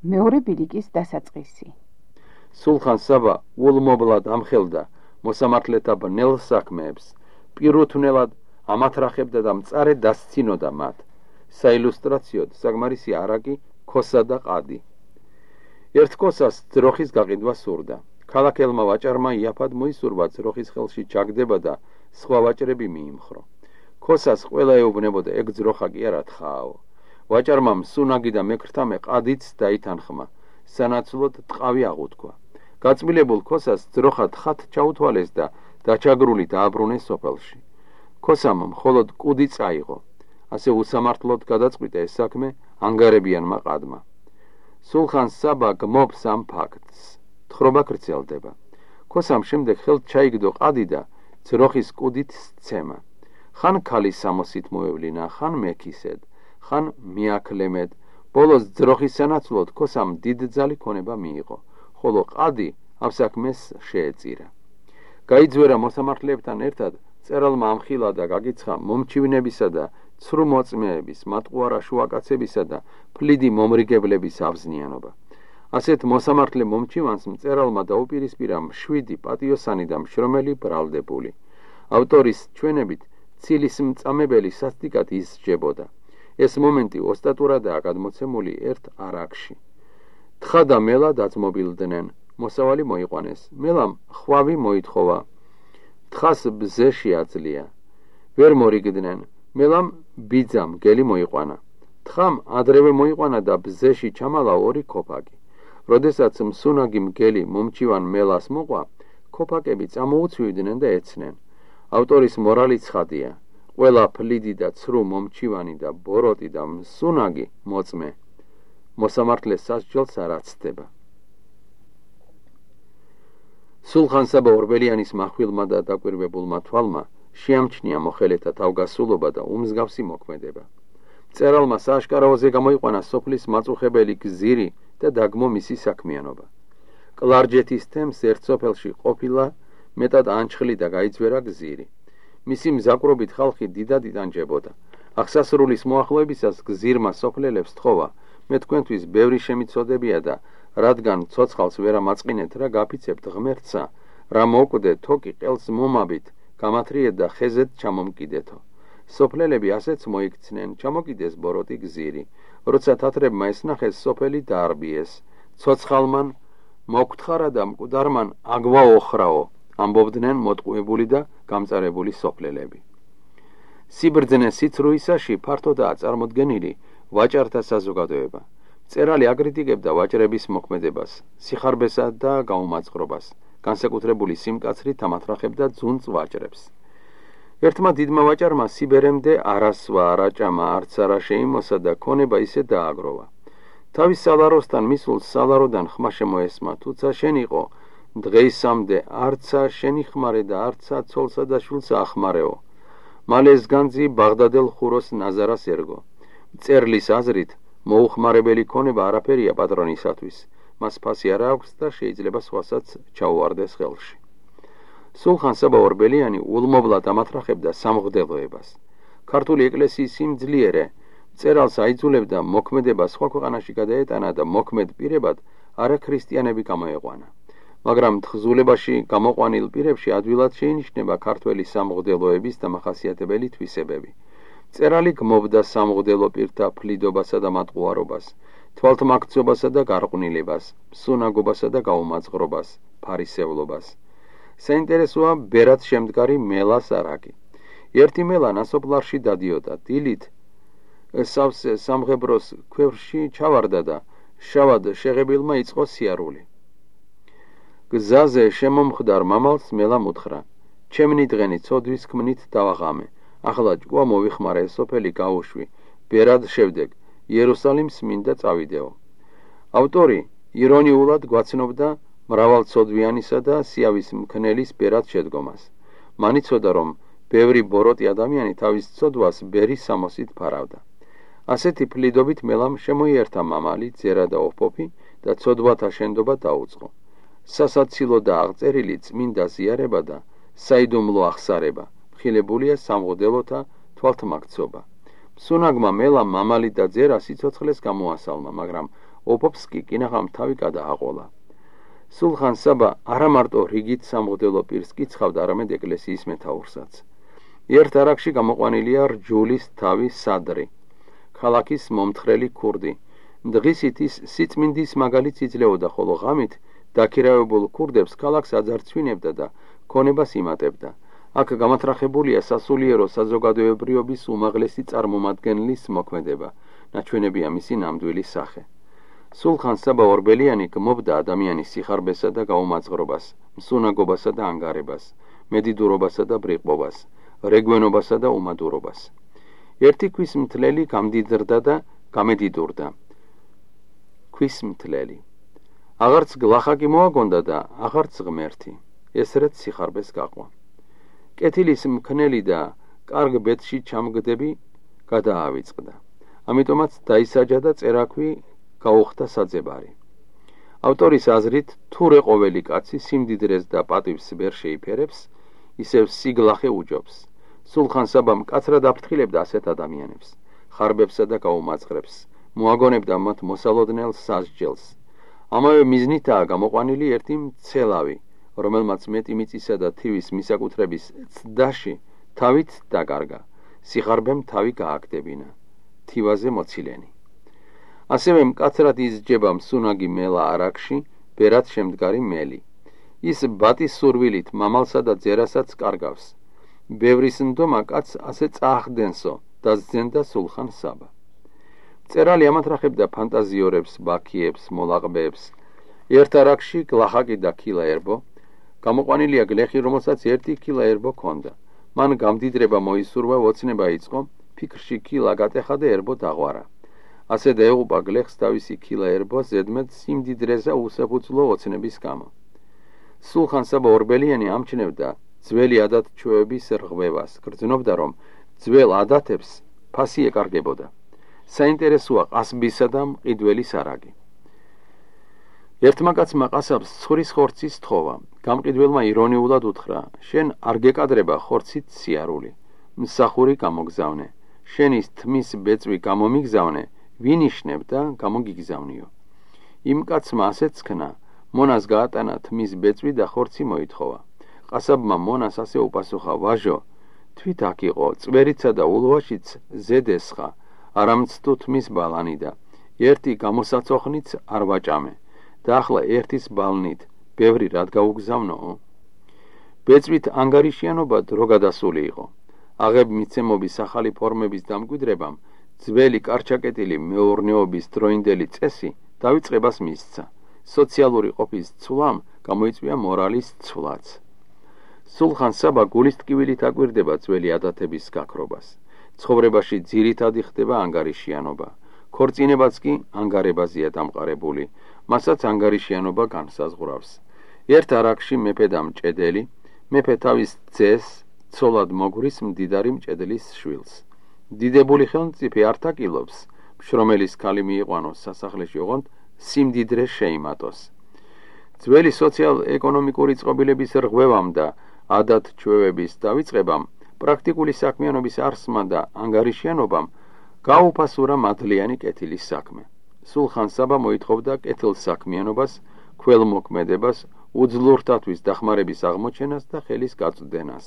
მეორე ბილიკის დასაწყისი. სულხან საბა ულმობლად ამხელდა მოსამართლეთა ბნელ საქმეებს, პირუთვნელად ამათრახებდა და მწარე დასცინოდა მათ. საილუსტრაციოდ საგმარისი არაკი, ქოსა და ყადი. ერთ ქოსას ძროხის გაყიდვა სურდა. ქალაქელმა ვაჭარმა იაფად მოისურვა ძროხის ხელში ჩაგდება და სხვა ვაჭრები მიიმხრო. ქოსას ყველა ეუბნებოდა, ეგ ძროხა კი არა თხააო. ვაჭარმა მსუნაგი და მექრთამე ყადიც დაითანხმა, სანაცვლოდ ტყავი აღუთქვა. გაწმილებულ ქოსას ძროხა თხათ ჩაუთვალეს და დაჩაგრული დააბრუნეს სოფელში. ქოსამ მხოლოდ კუდი წაიღო. ასე უსამართლოდ გადაწყვიტა ეს საქმე ანგარებიანმა ყადმა. სულხან საბა გმობს ამ ფაქტს. თხრობა გრძელდება. ქოსამ შემდეგ ხელთ ჩაიგდო ყადი და ძროხის კუდით სცემა. ხან ქალის სამოსით მოევლინა, ხან მექისედ, ხან მიაკლემედ. ბოლოს ძროხის სანაცვლოდ ქოსამ დიდძალი ქონება მიიღო, ხოლო ყადი ამ საქმეს შეეწირა. გაიძვერა მოსამართლეებთან ერთად წერალმა ამხილა და გაგიცხა მომჩივნებისა და ცრუ მოწმეების, მატყუარა შუაკაცებისა და ფლიდი მომრიგებლების ავზნიანობა. ასეთ მოსამართლე მომჩივანს მწერალმა დაუპირისპირა მშვიდი, პატიოსანი და მშრომელი ბრალდებული. ავტორის ჩვენებით ცილის მწამებელი სასტიკად ისჯებოდა. ეს მომენტი ოსტატურადაა გადმოცემული ერთ არაკში. თხა და მელა დაძმობილდნენ, მოსავალი მოიყვანეს, მელამ ხვავი მოითხოვა, თხას ბზე შეაძლია. ვერ მორიგდნენ, მელამ ბიძამ გელი მოიყვანა. თხამ ადრევე მოიყვანა და ბზეში ჩამალა ორი ქოფაკი. როდესაც მსუნაგი მგელი მომჩივან მელას მოყვა, ქოფაკები წამოუცვივდნენ და ეცნენ. ავტორის მორალი ცხადია. ყველა ფლიდი და ცრუ მომჩივანი და ბოროტი და მსუნაგი მოწმე მოსამართლეს სასჯელს არ აცდება. სულხან საბა ორბელიანის מחვილმა და დაკვირვებულმა თვალმა შეამჩნია მოხელეთა თავგასულობა და უმსგავსი მოქმედება. მწერალმა სააშკარაოზე გამოიყვანა სოფლის მაწუხებელი გზირი და დაგმო მისი საქმიანობა. კლარჯეთის თემს ერთ სოფელში ყოფილა მეტად ანჩხლი და გაიძვერა გზირი. მისი მზაკრობით ხალხი დიდად იტანჯებოდა. აღსასრულის მოახლოებისას გზირმა სოფლელებს თხოვა, მე თქვენთვის ბევრი შემიცოდებია და რადგან ცოცხალს ვერ ამაწყინეთ, რა გაფიცებთ ღმერთსა, რა მოკვდეთ თოკი ყელს მომაბით, გამათრიეთ და ხეზეთ ჩამომკიდეთო. სოფლელები ასეც მოიქცნენ, ჩამოკიდეს ბოროტი გზირი. როცა თათრებმა ესნახეს, სოფელი დაარბიეს. ცოცხალმან მოგთხარა და მკვდარმან აგვაოხრაო, ამბობდნენ მოტყუებული და გამწარებული სოფლელები. სიბრძნე სიცრუისაში ფართოდაა წარმოდგენილი ვაჭართა საზოგადოება. მწერალი აკრიტიკებდა ვაჭრების მოქმედებას, სიხარბესა და გაუმაწყრობას, განსაკუთრებული სიმკაცრით ამათრახებდა ძუნწ ვაჭრებს. ერთმა დიდმა ვაჭარმა სიბერემდე არასვა, არაჭამა, არც არა შეიმოსა და ქონება ისე დააგროვა. თავის სალაროსთან მისულ სალაროდან ხმა შემოესმა, თუცა შენ იყო, დღეისამდე არცა შენი ხმარე და არცა ცოლსა და შვილსა ახმარეო. მალე ეს განძი ბაღდადელ ხუროს ნაზარას ერგო. მწერლის აზრით მოუხმარებელი ქონება არაფერია პატრონისათვის, მას ფასი არ აქვს და შეიძლება სხვასაც ჩაუვარდეს ხელში. სულხან საბა ორბელიანი ულმობლად ამათრახებდა სამღვდელოებას. ქართული ეკლესიის სიმძლიერე მწერალს აიძულებდა მოქმედება სხვა ქვეყანაში გადაეტანა და მოქმედ პირებად არაქრისტიანები გამოეყვანა. მაგრამ თხზულებაში გამოყვანილ პირებში ადვილად შეინიშნება ქართველი სამღვდელოების დამახასიათებელი თვისებები. მწერალი გმობდა სამღვდელო პირთა ფლიდობასა და მატყუარობას, თვალთმაქცობასა და გარყვნილებას, მსუნაგობასა და გაუმაწყრობას, ფარისევლობას. საინტერესოა ბერად შემდგარი მელას არაკი. ერთი მელა ნასოფლარში დადიოდა, დილით სავსე სამღებროს ქვევრში ჩავარდა და შავად შეღებილმა იწყო სიარული. გზაზე შემომხდარ მამალს მელამ უთხრა, ჩემნი დღენი ცოდვის ქმნით დავაღამე, ახლა ჭკუა მოვიხმარე სოფელი გაუშვი, ბერად შევდებ, იერუსალიმს მინდა წავიდეო. ავტორი ირონიულად გვაცნობდა მრავალცოდვიანისა და სიავის მქნელის ბერად შედგომას. მან იცოდა, რომ ბევრი ბოროტი ადამიანი თავის ცოდვას ბერის სამოსით ფარავდა. ასეთი ფლიდობით მელამ შემოიერთა მამალი, ძერა და ოფოფი და ცოდვათა შენდობა დაუწყო. სასაცილო და აღწერილი წმინდა ზიარება და საიდუმლო ახსარება, მხილებულია სამღვდელოთა თვალთმაქცობა. მსუნაგმა მელამ მამალი და ძერა სიცოცხლეს გამოასალმა, მაგრამ ოფობს კი კინაღამ თავი გადააყოლა. სულხან საბა არა მარტო რიგით სამღვდელო პირს კიცხავდა, არამედ ეკლესიის მეთაურსაც. ერთ არაკში გამოყვანილია რჯულის თავი სადრი, ქალაქის მომთხრელი ქურდი. დღისით ის სიწმინდის მაგალითს იძლეოდა, ხოლო ღამით დაქირავებულ ქურდებს ქალაქს აძარცვინებდა და ქონებას იმატებდა. აქ გამათრახებულია სასულიერო საზოგადოებრიობის უმაღლესი წარმომადგენლის მოქმედება, ნაჩვენებია მისი ნამდვილი სახე. სულხან საბა ორბელიანი გმობდა ადამიანის სიხარბესა და გაუმაძღრობას, მსუნაგობასა და ანგარებას, მედიდურობასა და ბრიყბობას, რეგვენობასა და უმადურობას. ერთი ქვის მთლელი გამდიდრდა და გამედიდურდა. ქვის მთლელი. აღარც გლახაკი მოაგონდა და აღარც ღმერთი. ესრეთ სიხარბეს გაყვა. კეთილის მქნელი და კარგ ბედში ჩამგდები გადაავიწყდა. ამიტომაც დაისაჯა და წერაქვი გაუხდა საძებარი. ავტორის აზრით, თუ რე ყოველი კაცი სიმდიდრეს და პატივს ვერ შეიფერებს, ისევ სიგლახე უჯობს. სულხან საბა მკაცრად აფრთხილებდა ასეთ ადამიანებს, ხარბებსა და გაუმაძღრებს, მოაგონებდა მათ მოსალოდნელ სასჯელს. ამავე მიზნითაა გამოყვანილი ერთი მცელავი, რომელმაც მეტი მიწისა და თივის მისაკუთრების ცდაში თავით დაკარგა, სიხარბემ თავი გააგდებინა, თივაზე მოცილენი. ასევე მკაცრად იზრჯება მსუნაგი მელა არაკში, ბერად შემდგარი მელი. ის ბატის სურვილით მამალსა და ძერასაც კარგავს. ბევრის ნდომა კაცს ასე წაახდენსო, დასძენდა სულხან საბა. მწერალი ამათრახებდა ფანტაზიორებს, ბაქიებს, მოლაყბეებს. ერთ არაკში გლახაკი და ქილა ერბო, გამოყვანილია გლეხი, რომელსაც 1 ქილა ერბო ჰქონდა. მან გამდიდრება მოისურვა, ოცნება იწყო, ფიქრში ქილა გატეხა და ერბო დაღვარა. ასე დაეღუპა გლეხს თავისი ქილა ერბო ზედმეტ სიმდიდრეზე უსაფუძვლო ოცნების გამო. სულხან საბა ორბელიანი ამჩნევდა ძველი ადათ-ჩვევების რღვევას, გრძნობდა, რომ ძველ ადათებს ფასი ეკარგებოდა. საინტერესოა ყასბისა და მყიდველის არაგი. ერთმა კაცმა ყასაბს ცხრის ხორცის თხოვა. გამყიდველმა ირონიულად უთხრა: შენ არ გეკადრება ხორცით სიარული, მსახური გამოგზავნე, შენის თმის ბეწვი გამომიგზავნე, ვინ იშნებ და გამოგიგზავნიო. იმ კაცმა ასეც ქნა, მონას გაატანა თმის ბეწვი და ხორცი მოითხოვა. ყასაბმა მონას ასე უპასუხა: ვაჟო, თვით აქ იყო, წვერიცა და ულვაშიც ზედესხა, არამცდუ თმის ბალანი და ერთი გამოსაცოხნიც არ ვაჭამე და ახლა ერთის ბალნით ბევრი რად გაუგზავნოო. ბეწვით ანგარიშიანობა დრო გადასული იყო. აღებ მიცემობის ახალი ფორმების დამკვიდრებამ ძველი კარჩაკეტილი მეურნეობის დროინდელი წესი დავიწყებას მისცა. სოციალური ყოფის ცვლამ გამოიწვია მორალის ცვლაც. სულხან საბა გულის ტკივილით აკვირდება ძველი ადათების გაქრობას. ცხოვრებაში ძირითადი ხდება ანგარიშიანობა. ქორწინებაც კი ანგარებაზეა დამყარებული, მასაც ანგარიშიანობა განსაზღვრავს. ერთ არაკში მეფე და მჭედელი, მეფე თავის ძეს ცოლად მოგვრის მდიდარი მჭედლის შვილს. დიდებული ხელმწიფე არ თაკილობს, მშრომელის ქალი მიიყვანოს სასახლეში, ოღონდ სიმდიდრე შეიმატოს. ძველი სოციალ-ეკონომიკური წყობილების რღვევამ და ადათ-ჩვევების დავიწყებამ, პრაქტიკული საქმიანობის არსმა და ანგარიშიანობამ გაუფასურა მადლიანი კეთილის საქმე. სულხან საბა მოითხოვდა კეთილსაქმიანობას, ქველმოქმედებას, უძლურთათვის დახმარების აღმოჩენას და ხელის გაწვდენას.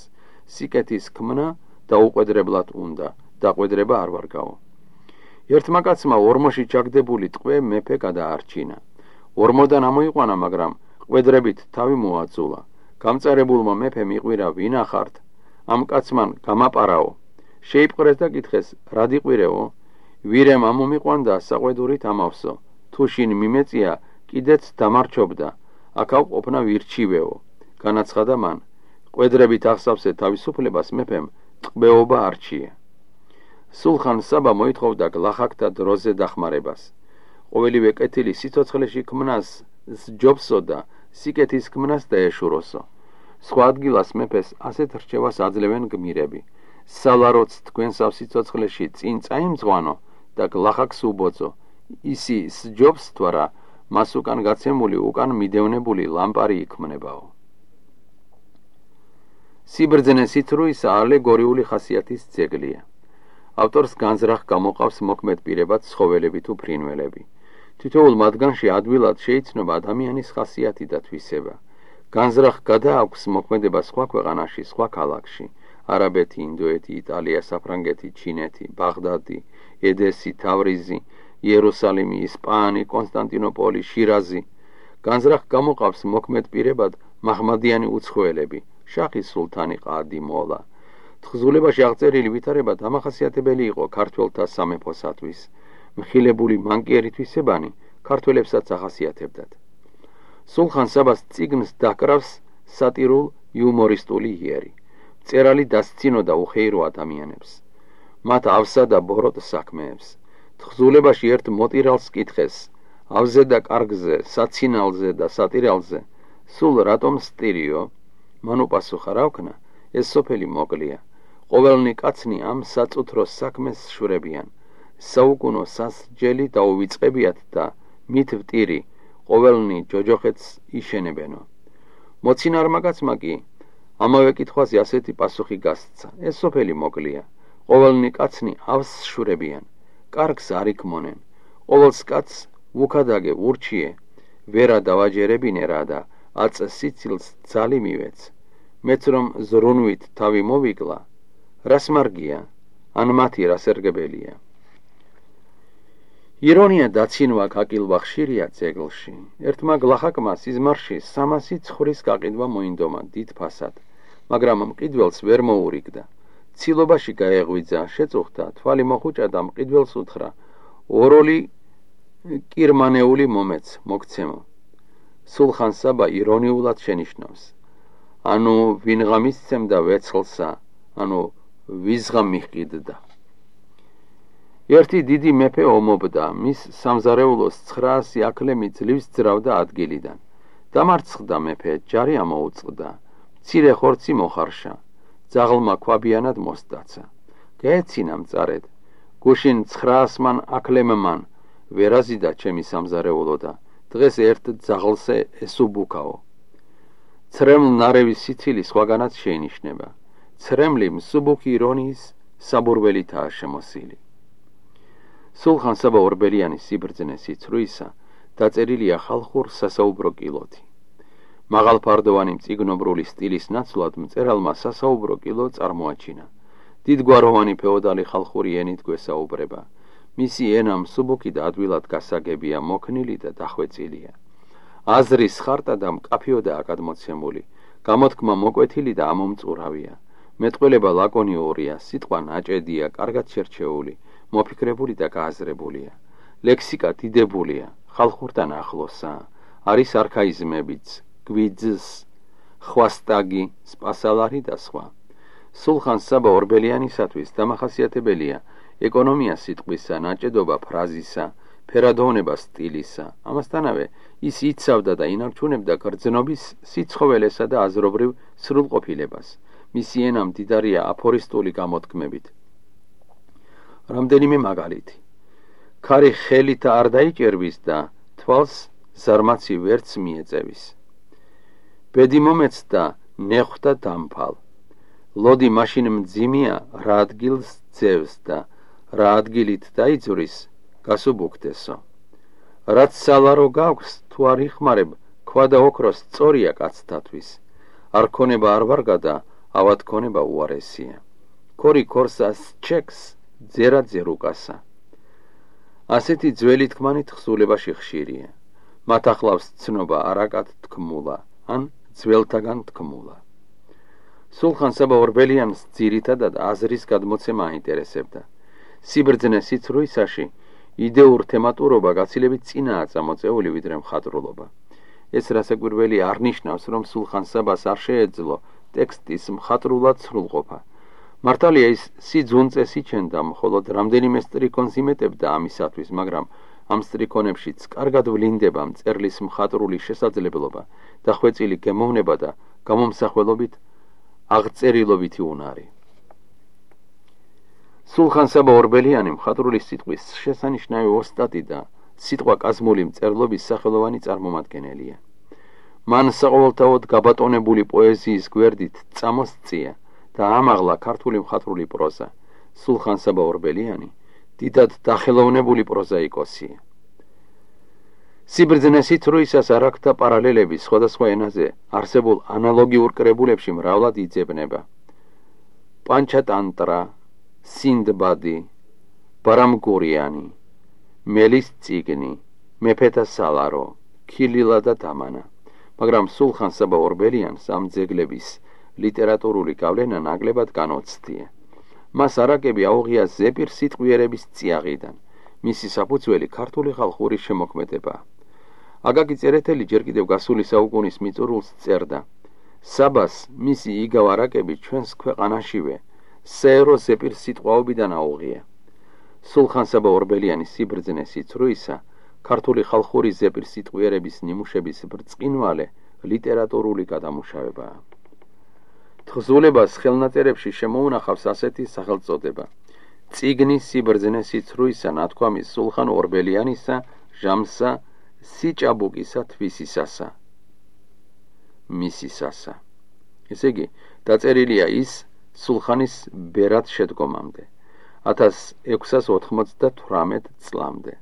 სიკეთის ქმნა დაუყვედრებლად უნდა, დაყვედრება არ ვარგაო. ერთმა კაცმა ორმოში ჩაგდებული ტყვე მეფე გადაარჩინა. ორმოდან ამოიყვანა, მაგრამ ყვედრებით თავი მოაწულა. გამწარებულმა მეფემ იყვირა: ვინ ახართ? ამ კაცმან გამაპარაო. შეიპყრეს და კითხეს: რად იყვირეო? ვირემ ამომიყვანდა საყვედურით ამავსო. თუ შინ მიმეწია, კიდეც დამარჩობდა. აქაო ყოფნა ვირჩივეო. განაცხადა მან. ყვედრებით ახსავსე თავისუფლებას მეფემ ტყვეობა არჩია. სულხან საბა მოითხოვდა გლახაკთა დროზე დახმარებას. ყოველივე კეთილი სიცოცხლეში ქმნას სჯობსო და სიკეთის ქმნას დაეშუროსო. სხვა ადგილას მეფეს ასეთ რჩევას აძლევენ გმირები. სალაროც თქვენსავ სიცოცხლეში წინ წაიმძღვანო და გლახაკს უბოძო. ისი სჯობს თუ არა, მას უკან გაცემული, უკან მიდევნებული ლამპარი იქმნებაო. სიბრძნე სითრუისა ალეგორიული ხასიათის ძეგლია. ავტორს განზრახ გამოყავს მოქმედ პირებად ცხოველები თუ ფრინველები. თითოეულ მათგანში ადვილად შეიცნობა ადამიანის ხასიათი და თვისება. განზრახ გადააქვს მოქმედება სხვა ქვეყანაში, სხვა ქალაქში, არაბეთი, ინდოეთი, იტალია, საფრანგეთი, ჩინეთი, ბაღდადი, ედესი, თავრიზი, იერუსალიმი, ისპაანი, კონსტანტინოპოლი, შირაზი. განზრახ გამოყავს მოქმედ პირებად მაჰმადიანი უცხოელები, შაჰი სულთანი ყადი მოლა. თხზულებაში აღწერილი ვითარება დამახასიათებელი იყო ქართველთა სამეფოსათვის. მხილებული მანკიერი თვისებანი ქართველებსაც ახასიათებდათ. სულხან საბას წიგნს დაკრავს სატირულ იუმორისტული იერი. მწერალი დასცინოდა უხეირო ადამიანებს, მათ ავსა და ბოროტ საქმეებს. თხზულებაში ერთ მოტირალს კითხეს, ავზე და კარგზე, საცინალზე და სატირალზე, სულ რატომ სტირიო? მან უპასუხა, რა ვქნა, ეს სოფელი მოკლია. ყოველნი კაცნი ამ საწუთრო საქმეს შვრებიან. საუკუნო სასჯელი დაუვიწყებიათ და მით ვტირი, ყოველნი ჯოჯოხეთს იშენებენო. მოცინარმა კაცმა კი ამავე კითხვაზე ასეთი პასუხი გასცა, ეს სოფელი მოკლია. ყოველნი კაცნი ავს შვრებიან, კარგს არ იქმონენ. ყოველს კაცს ვუქადაგე ურჩიე, ვერა დავაჯერებინე რა და აწ სიცილს ძალი მივეც. მეც რომ ზრუნვით თავი მოვიკლა, რას მარგია, ან მათი რას ერგებელია. ირონია დაცინვა გაკილვა ხშირია ძეგლში. ერთმა გლახაკმა სიზმარში 300 ცხვრის გაყიდვა მოინდომა დიდ ფასად, მაგრამ მყიდველს ვერ მოურიგდა. ცილობაში გაეღვიძა, შეწუხდა, თვალი მოხუჭა და მყიდველს უთხრა, ოროლი კირმანეული მომეც, მოგცემო. სულხან საბა ირონიულად შენიშნავს, ანუ ვინღა მისცემდა ვეცხლსა, ანუ ვიზღა მიყიდდა. ერთი დიდი მეფე ომობდა, მის სამზარეულოს 900 აქლემი ძლივს ძრავდა ადგილიდან. დამარცხდა მეფე, ჯარი ამოუწყდა, მცირე ხორცი მოხარშა, ძაღლმა ქვაბიანად მოსდაცა. გაეცინა მწარედ, გუშინ 900-მან აქლემმან, ვერაზიდა ჩემი სამზარეულო და დღეს ერთ ძაღლზე ესუბუქაო. ცრემლ ნარევის სიცილი სხვაგანაც შეინიშნება. ცრემლი მსუბუქი ირონიის საბურველითაა შემოსილი. სულხან საბა ორბელიანის სიბრძნე სიცრუისა დაწერილია ხალხურ სასაუბრო კილოთი. მაღალფარდოვანი მწიგნობრული სტილის ნაცვლად მწერალმა სასაუბრო კილო წარმოაჩინა. დიდგვაროვანი ფეოდალი ხალხური ენით გვესაუბრება. მისი ენა მსუბუქი და ადვილად გასაგებია, მოქნილი და დახვეწილია. აზრის ხარტა და მკაფიოდაა გადმოცემული, გამოთქმა მოკვეთილი და ამომწურავია. მეტყველება ლაკონიურია, სიტყვა ნაჭედია, კარგად შერჩეული, მოფიქრებული და გააზრებულია. ლექსიკა დიდებულია, ხალხურთან ახლოსაა, არის არქაიზმებიც, გვიძს, ხვასტაგი, სპასალარი და სხვა. სულხან საბა ორბელიანისათვის დამახასიათებელია ეკონომია სიტყვისა, ნაჭედობა ფრაზისა, ფერადოვნება სტილისა. ამასთანავე ის იცავდა და ინარჩუნებდა გრძნობის სიცხოველესა და აზრობრივ სრულყოფილებას. მისი ენა მდიდარია აფორისტული გამოთქმებით. რამდენიმე მაგალითი. ქარი ხელით არ დაიჭერვის და თვალს ზარმაცი ვერც მიეწევის. ბედი მომეცდა ნეხვდა დამფალ. ლოდი მაშინ მძიმია რა ადგილს ძევს და რა ადგილით დაიძვრის გასუბუქდესო. რაც სალარო გაქვს თუ არ იხმარებ ქვა და ოქროს სწორია კაცთათვის. არ ქონება არ ვარგა და ავად ქონება უარესია. ქორი ქორსას ჩექს ძერა ძერუკასა. ასეთი ძველი თქმანი თხზულებაში ხშირია. მათ ახლავს ცნობა არაკად თქმულა, ან ძველთაგან თქმულა. სულხან საბა ორბელიანს ძირითადად აზრის გადმოცემა აინტერესებდა. სიბრძნე სიცრუისაში იდეურ თემატურობა გაცილებით წინაა წამოწეული ვიდრე მხატვრულობა. ეს რასაკვირველი არ ნიშნავს, რომ სულხან საბას არ შეეძლო ტექსტის მხატვრულად სრულყოფა. მართალია ის სიძუნწეს იჩენდა, მხოლოდ რამდენიმე სტრიქონს იმეტებდა ამისათვის, მაგრამ ამ სტრიქონებშიც კარგად ვლინდება მწერლის მხატვრული შესაძლებლობა და ხვეწილი გემოვნება და გამომსახველობით აღწერილობითი უნარი. სულხან საბა ორბელიანი მხატვრული სიტყვის შესანიშნავი ოსტატი და სიტყვა კაზმული მწერლობის სახელოვანი წარმომადგენელია. მან საყოველთაოდ გაბატონებული პოეზიის გვერდით წამოსწია და ამაღლა ქართული მხატვრული პროზა. სულხან საბა ორბელიანი დიდად დახელოვნებული პროზაიკოსია. სიბრძნე სიცრუისას არ აქვს პარალელები სხვადასხვა ენაზე არსებულ ანალოგიურ კრებულებში მრავლად იძებნება. პანჩატანტრა, სინდბადი, ბარამგურიანი, მელის წიგნი, მეფეთა სალარო, ქილილა და დამანა. მაგრამ სულხან-საბა ორბელიანს ამ ძეგლების ლიტერატურული გავლენა ნაკლებად განუცდია. მას არაკები აუღია ზეპირ სიტყვიერების წიაღიდან. მისი საფუძველი ქართული ხალხური შემოქმედებაა. აკაკი წერეთელი ჯერ კიდევ გასული საუკუნის მიწურულს წერდა: საბას მისი იგავ არაკები ჩვენს ქვეყანაშივე საერო ზეპირ სიტყვაობიდან აუღია. სულხან-საბა ორბელიანის სიბრძნე სიცრუისა ქართული ხალხური ზეპირ სიტყვიერების ნიმუშების ბრწყინვალე ლიტერატურული გადამუშავებაა. თხზულებას ხელნაწერებში შემოუნახავს ასეთი სახელწოდება: წიგნი სიბრძნე სიცრუისა ნათქვამის სულხან ორბელიანისა ჟამსა სიჭაბუკისა თვისისასა მისისასა. ესე იგი, დაწერილია ის სულხანის ბერად შედგომამდე 1698 წლამდე.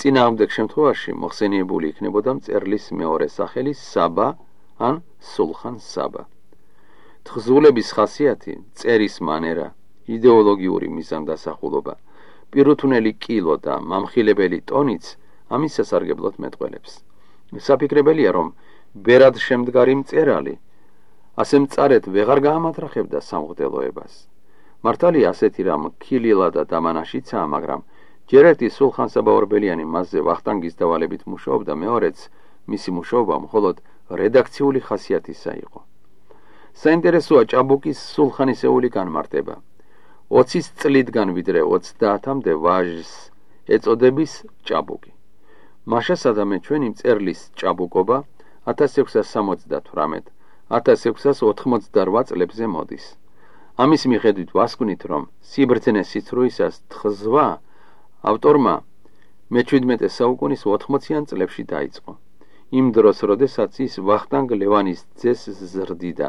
წინააღმდეგ შემთხვევაში მოხსენიებული იქნებოდა მწერლის მეორე სახელი საბა ან სულხან-საბა. თხზულების ხასიათი, წერის მანერა, იდეოლოგიური მიზანდასახულობა, პირუთვნელი კილო და მამხილებელი ტონიც ამის სასარგებლოდ მეტყველებს. საფიქრებელია, რომ ბერად შემდგარი მწერალი ასე მწარედ ვეღარ გაამატრახებდა სამღვდელოებას. მართალია ასეთი რამ ქილილა და დამანაშიცაა, მაგრამ ჯერ ერთი სულხან-საბა ორბელიანი მასზე ვახტანგის დავალებით მუშაობდა, მეორეც მისი მუშაობა მხოლოდ რედაქციული ხასიათისა იყო. საინტერესოა ჭაბუკის სულხანისეული განმარტება. 20 წლიდან ვიდრე 30-მდე ვაჟს ეწოდების ჭაბუკი. მაშასადამე ჩვენი მწერლის ჭაბუკობა 1678-1688 წლებზე მოდის. ამის მიხედვით ვასკვნით, რომ სიბრძნე სიცრუისას თხზვა ავტორმა მე-17 საუკუნის 80-იან წლებში დაიწყო. იმ დროს, როდესაც ის ვახტანგ ლევანის ძეს ზრდიდა.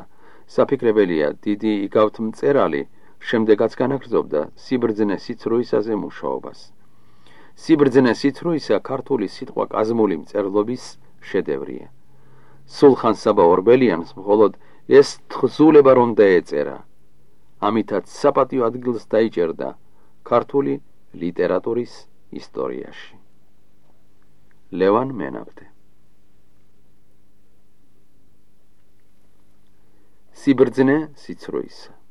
საფიქრებელია, დიდი იგავთ მწერალი შემდეგაც განაგრძობდა სიბრძნე სიცრუისაზე მუშაობას. სიბრძნე სიცრუისა ქართული სიტყვა კაზმული მწერლობის შედევრია. სულხან-საბა ორბელიანს მხოლოდ ეს თხზულება რომ დაეწერა, ამითაც საპატიო ადგილს დაიჭერდა ქართული ლიტერატურის ისტორიაში. ლევან მენაბდე. სიბრძნე სიცრუისა.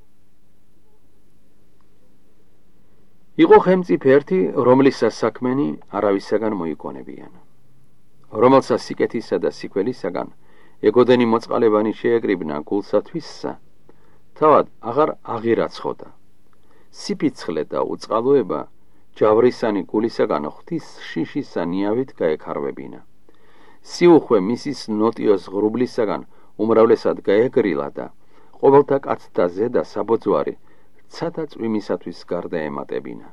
იყო ხელმწიფე ერთი, რომლისას საქმენი არავისაგან მოიგონებიან, რომელსაც სიკეთისა და სიკველისაგან ეგოდენი მოწყალებანი შეეკრიბნა გულსათვისსა, თავად აღარ აღირაცხოდა. სიფიცხლე და უწყალოება ჯავრისანი გულისაგან ღვთის შიშისა ნიავით გაექარვებინა. სიუხვე მისის ნოტიოს ღრუბლისაგან უმრავლესად გაეგრილა და ყოველთა კაცთა ზედა საბოძვარი ცათა წვიმისათვის გარდა ემატებინა.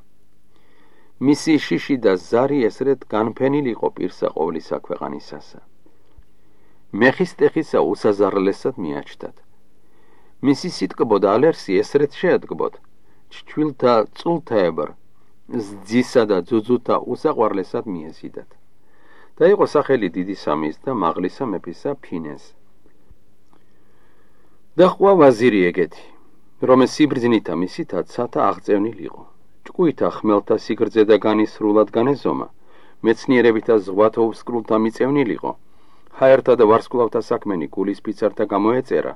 მისი შიში და ზარი ესრეთ განფენილიყო პირსა ყოვლისა ქვეყანისასა. მეხისტეხისა უსაზარლესად მიაჩნდათ. მისი სიტკბო და ალერსი ესრეთ შეადგბოთ, ჩჩვილთა წულთაებრ, ზძისა და ძუძუთა უსაყვარლესად მიეზიდათ. და იყო სახელი დიდი სამის და მაღლისა მეფისა ფინეს. და ხვა ვაზირი ეგეთი, რომ სიბრძნითა მისითა ცათა აღწევნილიყო. ჭკუითა ხმელთა სიგრძე და განისრულად განეზომა, მეცნიერებითა ზღვათა უსკრულთა მიწევნილიყო, ჰაერთა და ვარსკვლავთა საქმენი გულის ფიცართა გამოეწერა.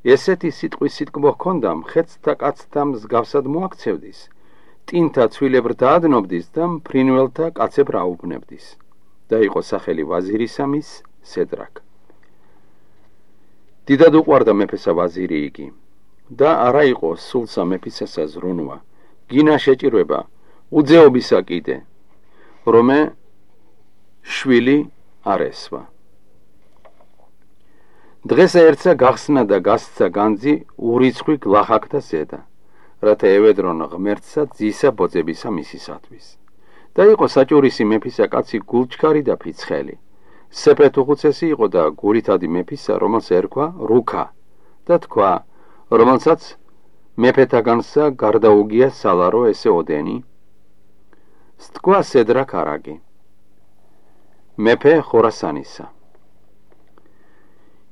ესეთი სიტყვის სიტკბო ჰქონდა, მხეცთა კაცთა მსგავსად მოაქცევდის, ტინთა ცვილებრ დაადნობდის და მფრინველთა კაცებრ აუბნებდის. და იყო სახელი ვაზირისამის სედრაკ. დიდად უყვარდა მეფესა ვაზირი იგი და არა იყო სულსა მეფისასა ზრუნვა, გინა შეჭირვება, უძეობისა კიდე, რომე შვილი არ ესვა. დღესა ერთსა გახსნა და გასცა განძი ურიცხვი გლახაკთა ზედა, რათა ევედრონ ღმერთსა ძისა ბოძებისა მისისათვის. და იყო საჭურისი მეფისა კაცი გულჩქარი და ფიცხელი. სეპრეთუხუცესი იყო და გულითადი მეფისა, რომელს ერქვა რუქა და თქვა, რომელსაც მეფეთაგანსა გარდაუგია სალარო ესე ოდენი. სთქვა სედრაკ არაგი. მეფე ხორასანისა.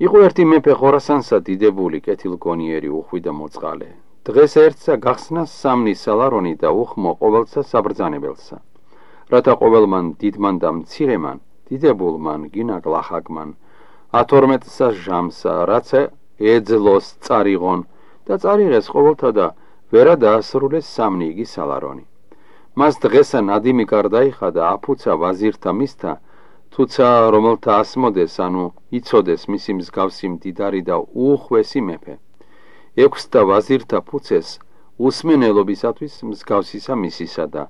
იყო ერთი მეფე ხორასანსა დიდებული, კეთილგონიერი, უხვი და მოწყალე. დღეს ერთსა გახსნა სამნის სალარონი და უხმო ყოველსა საბრძანებელსა. რათა ყოველმან დიდმან და მცირემან, დიდებულმან, გინა გლახაკმან, 12-სა ჟამსა, რაცა ეძლოს წარიღონ და წარიღეს ყოველთა და ვერა დაასრულეს სამნი იგი სალარონი. მას დღესა ნადიმი გარდაიხა და აფუცა ვაზირთა მისთა, თუცა რომელთა ასმოდეს, ანუ იცოდეს მისი მსგავსი მდიდარი და უხვესი მეფე. 6 და ვაზირთა ფუცეს უსმენელობისათვის მსგავსისა მისისა და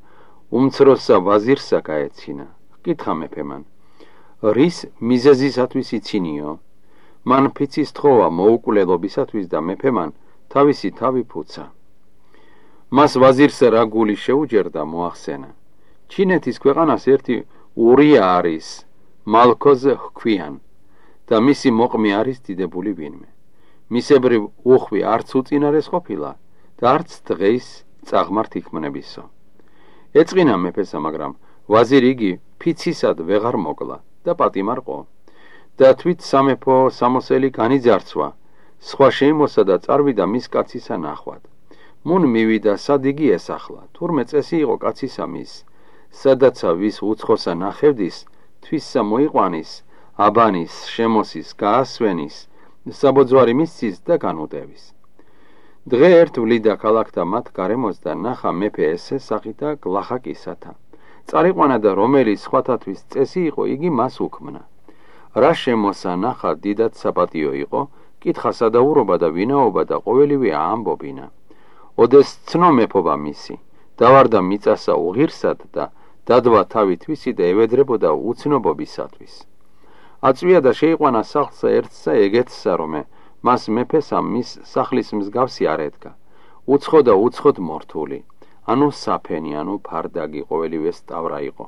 უმცროსსა ვაზირსა გაეცინა. კითხა მეფემან, რის მიზეზისათვის იცინიო? მან ფიცის თხოვა მოუკვლელობისათვის და მეფემან თავისი თავი ფუცა. მას ვაზირს რა გული შეუჯერდა მოახსენა. ჩინეთის ქვეყანას ერთი ურია არის, მალქოზ ჰქვიან და მისი მოყმე არის დიდებული ვინმე. მისებრივ უხვი არც უწინარეს ყოფილა და არც დღეის წაღმართ იქმნებისო. ეწყინა მეფესა, მაგრამ ვაზირი იგი ფიცისად ვეღარ მოკლა და პატიმარყო და თვით სამეფო სამოსელი განიძარცვა, სხვა შეიმოსა და წარვიდა მის კაცისა ნახვად. მუნ მივიდა სად იგი ესახლა, თურმე წესი იყო კაცისა მის, სადაცა ვის უცხოსა ნახევდის, თვისსა მოიყვანის, აბანის, შემოსის, გაასვენის, საბოძვარი მისცის და განუტევის. დღე ერთ ვლიდა ქალაქთა მათ გარემოს და ნახა მეფე ესესახი და გლახაკისათა. წარიყვანა და რომელი სხვათათვის წესი იყო, იგი მას უქმნა. რა შემოსა ნახა დიდად საპატიო იყო, კითხა სადაურობა და ვინაობა და ყოველივე ამბობინა. ოდეს ცნო მეფობა მისი, დავარდა მიწასა უღირსად და დადვა თავი თვისი და ევედრებოდა უცნობობისათვის. აწვია და შეიყვანა სახლსა ერთსა ეგეთსა, რომე მას მეფესა მის სახლის მსგავსი არ ედგა. უცხო და უცხოდ მორთული, ანუ საფენი, ანუ ფარდაგი ყოველივე სტავრა იყო.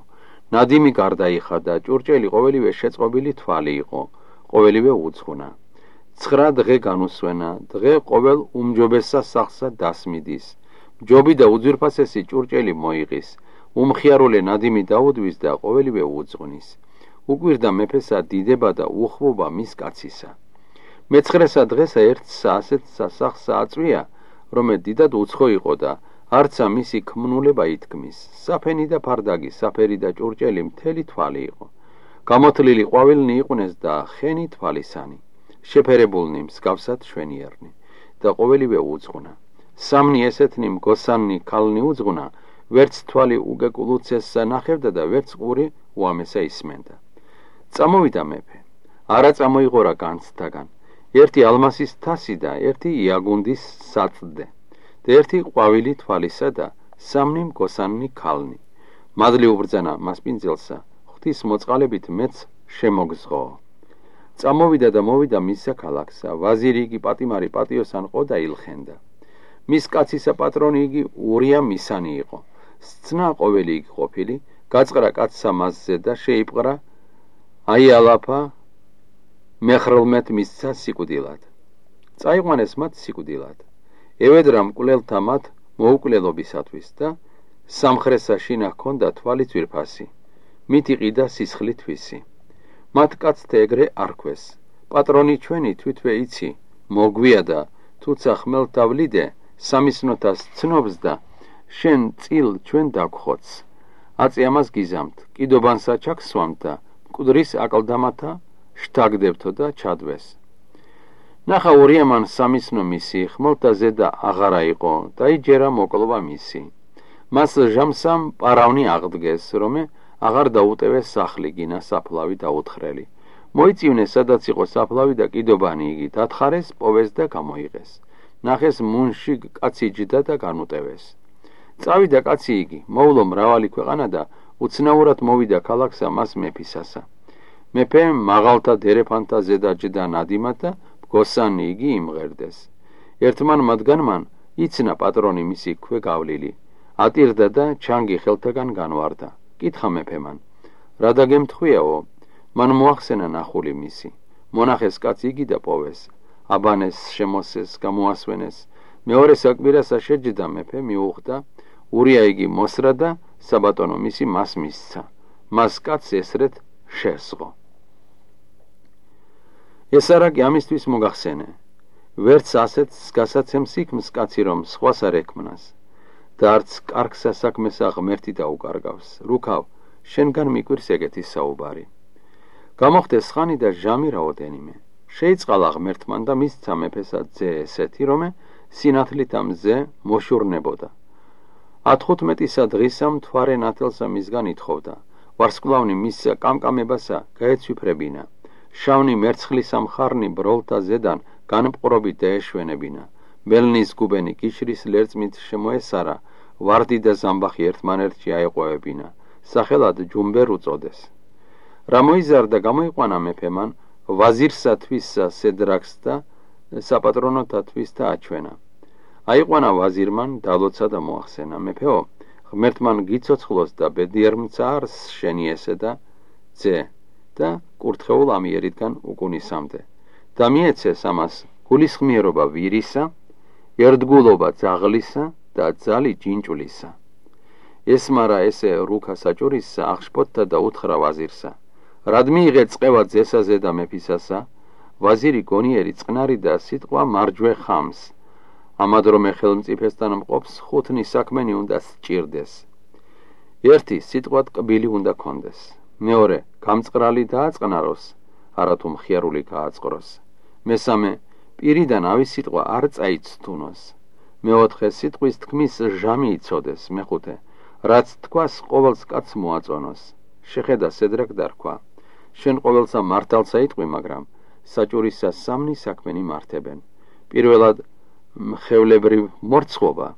ნადიმი გარდაიხა და ჭურჭელი ყოველივე შეწყობილი თვალი იყო, ყოველივე უძღვნა. 9 დღე განუსვენა, დღე ყოველ უმჯობესსა სახლსა დასმიდის. ჯობი და უძვირფასესი ჭურჭელი მოიღის, უმხიარულე ნადიმი დაუდვის და ყოველივე უძღვნის. უკვირდა მეფესა დიდება და უხვობა მის კაცისა. მე-9 დღესა ერთსა ასეთსა სახლსა აწვია, რომე დიდად უცხო იყო და არცა მისი ქმნულება ითქმის. საფენი და ფარდაგი, საფერი და ჭურჭელი მთელი თვალი იყო. გამოთლილი ყვავილნი იყვნენ და ხენი თვალისანი. შეფერებულნი მსგავსად შვენიერნი და ყოველივე უძღვნა. სამნი ესეთნი მგოსანნი ქალნი უძღვნა, ვერც თვალი უგეკულუცესსა ნახევდა და ვერც ყური უამესა ისმენდა. წამოვიდა მეფე, არა წამოიღორა განცდაგან, ერთი ალმასის თასი და ერთი იაგუნდის საწდე და ერთი ყვავილი თვალისა და სამნი მგოსანნი ქალნი. მადლი უბრძანა მასპინძელსა, ღვთის მოწყალებით მეც შემოგზღო. წამოვიდა და მოვიდა მისსა ქალაქსა, ვაზირი იგი პატიმარი პატიოსან ყო და ილხენდა. მის კაცისა პატრონი იგი ურია მისანი იყო. სცნა ყოველი იგი ყოფილი, გაწყრა კაცსა მასზე და შეიპყრა აიალაფა მეხრლმეთ მისცა სიკვდილად. წაიყვანეს მათ სიკვდილად. ევედრა მკვლელთა მათ მოუკვლელობისათვის და სამხრესა შინა ჰქონდა თვალი ძვირფასი, მით იყიდა სისხლი თვისი. მათ კაცთა ეგრე არქვეს, პატრონი ჩვენი თვითვე იცი, მოგვიადა, თუცა ხმელთა ვლიდე, სამისნოთას ცნობს და შენ წილ ჩვენ დაგხოც. აწი ამას გიზამთ, კიდობანსა ჩაგსვამთ და მკვდრის აკლდამათა შთაგდებთო და ჩადვეს. ნახა ურიამან სამისნო მისი, ხმელთა ზედა აღარა იყო, დაიჯერა მოკლობა მისი. მას ჟამსამ პარავნი აღდგეს, რომე აღარ დაუტევეს სახლი, გინა საფლავი დაუთხრელი. მოიწივნეს სადაც იყო საფლავი და კიდობანი იგი, დათხარეს, პოვეს და გამოიღეს. ნახეს მუნში კაცი ჯდა და განუტევეს. წავიდა კაცი იგი, მოვლო მრავალი ქვეყანა და უცნაურად მოვიდა ქალაქსა მას მეფისასა. მეფე მაღალთა დერეფანთა ზედა ჯდა ნადიმად და მგოსანი იგი იმღერდეს. ერთმან მათგანმან იცნა პატრონი მისი ქვე გავლილი, ატირდა და ჩანგი ხელთაგან განვარდა. კითხა მეფემან, რა დაგემთხვიაო? მან მოახსენა ნახული მისი. მონახეს კაცი იგი და პოვეს. აბანეს, შემოსეს, გამოასვენეს. მეორე საკვირასა შეჯდა მეფე, მიუხვდა, ურია იგი მოსრა და საბატონო მისი მას მისცა. მას კაცს ესრეთ შესღო. ეს არაკი ამისთვის მოგახსენე, ვერც ასეთს გასაცემს იქმს კაცი, რომ სხვას არ ექმნას და არც კარგ სასაქმესა ღმერთი დაუკარგავს. რუქავ, შენგან მიკვირს ეგეთი საუბარი. გამოხდეს ხანი და ჟამი რაოდენიმე. შეიწყალა ღმერთმან და მისცა მეფესა ძე ესეთი, რომე სინათლით ამ ძე მოშურნებოდა. 15 დღისა მთვარე ნათელსა მისგან ითხოვდა. ვარსკვლავნი მის კამკამებასა გაეცვიფრებინა. შავნი მერცხლისა მხარნი ბროლთა ზედან განმყრობით დაეშვენებინა. მელნის გუბენი კიშრის ლერწმით შემოესარა, ვარდი და ზამბახი ერთმანერთში აეყვევებინა. სახელად ჯუმბერ უწოდეს. რა მოიზარდა გამოიყვანა მეფემან, ვაზირსა თვისსა სედრაკს და საპატრონოთა თვისთა აჩვენა. აიყვანა ვაზირმან, დალოცა და მოახსენა. მეფეო, ღმერთმან გიცოცხლოს და ბედიერმცა არს შენი ესე და ძე და კურთხეულ ამიერიდან უკუნისამდე. და მიეცეს ამას გულისხმიერობა ვირისა, ერთგულობა ძაღლისა და ძალი ჯინჭვლისა. ესმარა ესე რუქა საჭურისსა აღშფოთთა და უთხრა ვაზირსა. რად მიიღე წყევა ძესაზე და მეფისასა, ვაზირი გონიერი წყნარი და სიტყვა მარჯვე ხამს. ამად რომე ხელმწიფესთან მყოფს ხუთნი საქმენი უნდა სჭირდეს. ერთი სიტყვად კბილი უნდა კონდეს. მეორე გამწყრალი დააწყნაროს, არათუ მხიარული გააწყროს. მესამე პირიდან ავის სიტყვა არ წაიცთუნოს. მეოთხე სიტყვის თქმის ჟამი იცოდეს. მეხუთე რაც თქვას ყოველს კაცს მოაწონოს. შეხედა სედრაკ დარქვა. შენ ყოველსა მართალსა იტყვი, მაგრამ საჭურისა სამნი საქმენი მართებენ. პირველად მხევლებრივ მორცხოვა.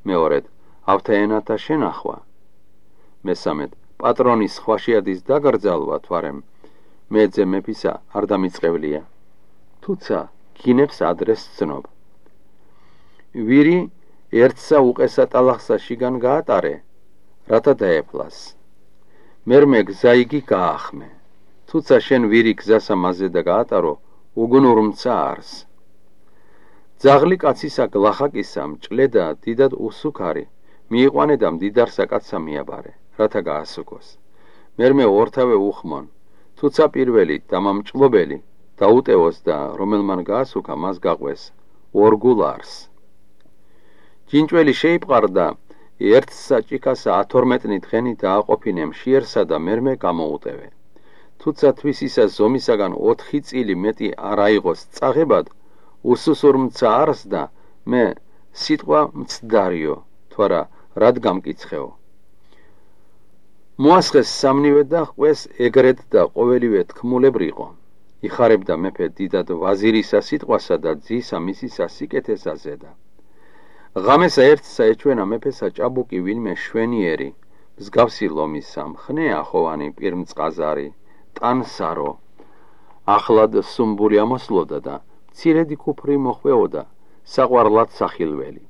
მეორედ ავთაენათა შენახვა. მესამედ პატრონის ხვაშიადის დაგრძალვა, თვარემ მე ძე მეფისა არ დამიწყევლია. თუცა გინებს ადრეს ცნობ. ვირი ერთსა უყესა ტალახსა შიგან გაატარე, რათა დაეფლას. მერმე გზა იგი გაახმე. თუცა შენ ვირი გზასა მასზე და გაატარო, უგუნურმცა არს. ძაღლი კაცისა გლახაკისა მჭლედა დიდად უსუქარი, მიიყვანე და მდიდარსა კაცსა მიაბარე, რათა გაასუქოს. მერმე ორთავე უხმონ, თუცა პირველი დამამჭლობელი დაუტევოს და რომელმან გაასუქა მას გაყვეს ორგულ არს. ჯინჭველი შეიპყარდა, ერთსა ჭიქასა 12 დღენი დააყოფინე მშიერსა და მერმე გამოუტევე. თუცა თვისისა ზომისაგან 4 წილი მეტი არ აიღოს წაღებად, უსუსურმცა არს და მე სიტყვა მცდარიო, თვარა რად გამკიცხეო. მოასხეს სამნივე და ყვეს ეგრეთ და ყოველივე თქმულებრიყო. იხარებდა მეფე დიდად ვაზირისა სიტყვასა და ძისა მისისა სიკეთესა ზედა. ღამესა ერთსა ეჩვენა მეფესა ჭაბუკი ვინმე შვენიერი, მსგავსი ლომისა, მხნე ახოვანი პირმწყაზარი, ტანსარო, ახლად სუმბული ამოსლოდა და მცირედი ქუფრი მოხვეოდა, საყვარლად სახილველი.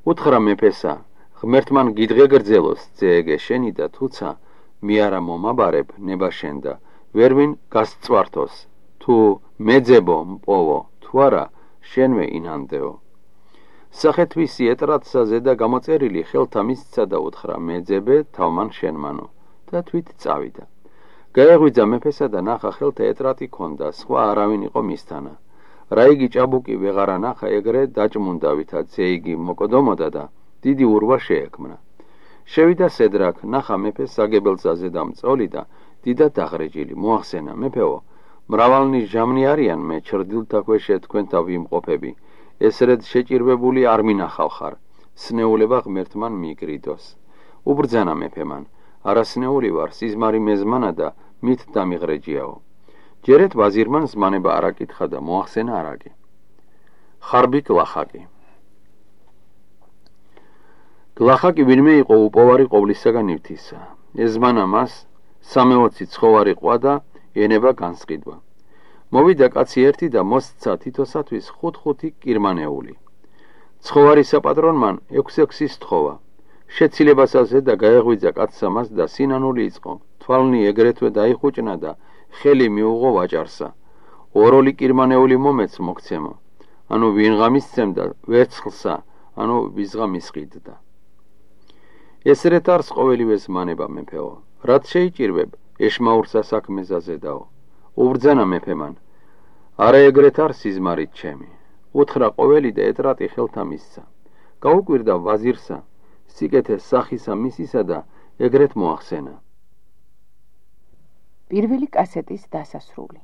უთხრა მეფესა, ღმერთმან გიდგეგრძელოს ძეეგე შენი და თუცა მე არა მომაბარებ ნება შენ და ვერვინ გასწვართოს, თუ მეძებო მპოვო, თუ არა შენვე ინანდეო. სახეთვისი ეტრატსა ზედა გამოწერილი ხელთა მისცა და უთხრა მეძებე თავმან შენმანო და თვით წავიდა. გაეღვიძა მეფესა და ნახა ხელთა ეტრატი ქონდა, სხვა არავინ იყო მისთანა. რა იგი ჭაბუკი ვეღარა ნახა, ეგრე დაჭმუნდა, ვითაც იგი მოკოდომოდა და დიდი ურვა შეექმნა. შევიდა სედრაკ, ნახა მეფეს საგებელსაზე და მწოლი და დიდად დაღრეჯილი. მოახსენა, მეფეო, მრავალნი ჟამნი არიან, მე ჩრდილთა ქვეშე თქვენთა ვიმყოფები. ესრედ შეჭირვებული არ მინახავ ხარ, სნეულება ღმერთმან მიგრიდოს. უბრძანა მეფემან, არასნეული ვარ, სიზმარი მეზმანა და მით დამიღრეჯიაო. ჯერეთ ვაზირმან ზმანება არ აკითხა და მოახსენა არაკი. ხარბი გლახაკი. გლახაკი ვინმე იყო უპოვარი ყოვლისაგან ნივთისა. ეზმანა მას 3-20 ცხოვარი ყვა და ენება განსყიდვა. მოვიდა კაცი ერთი და მოსცა თითოსათვის 5-5 კირმანეული. ცხოვარი საპატრონმან 6-6 სთხოვა. შეცილებასაზე და გაეღვიძა კაცსა მას და სინანული იწყო. თვალნი ეგრეთვე დაიხუჭნა და ხელი მიუღო ვაჭარსა. ოროლი კირმანეული მომეც მოგცემო. ანუ ვინღამისცემდა ვერცხლსა, ანუ ვიზღამისყიდდა. ესრეთ არს ყოველივე ზმანება მეფეო. რაც შეიჭირვებ, ეშმაურსა საქმეზე ზედაო. უბრძანა მეფემან, არა ეგრეთ არ სიზმარით ჩემი. უთხრა ყოველი და ეტრატი ხელთა მისცა. გაუკვირდა ვაზირსა, სიკეთე სახისა მისისა და ეგრეთ მოახსენა. პირველი კასეტის დასასრული.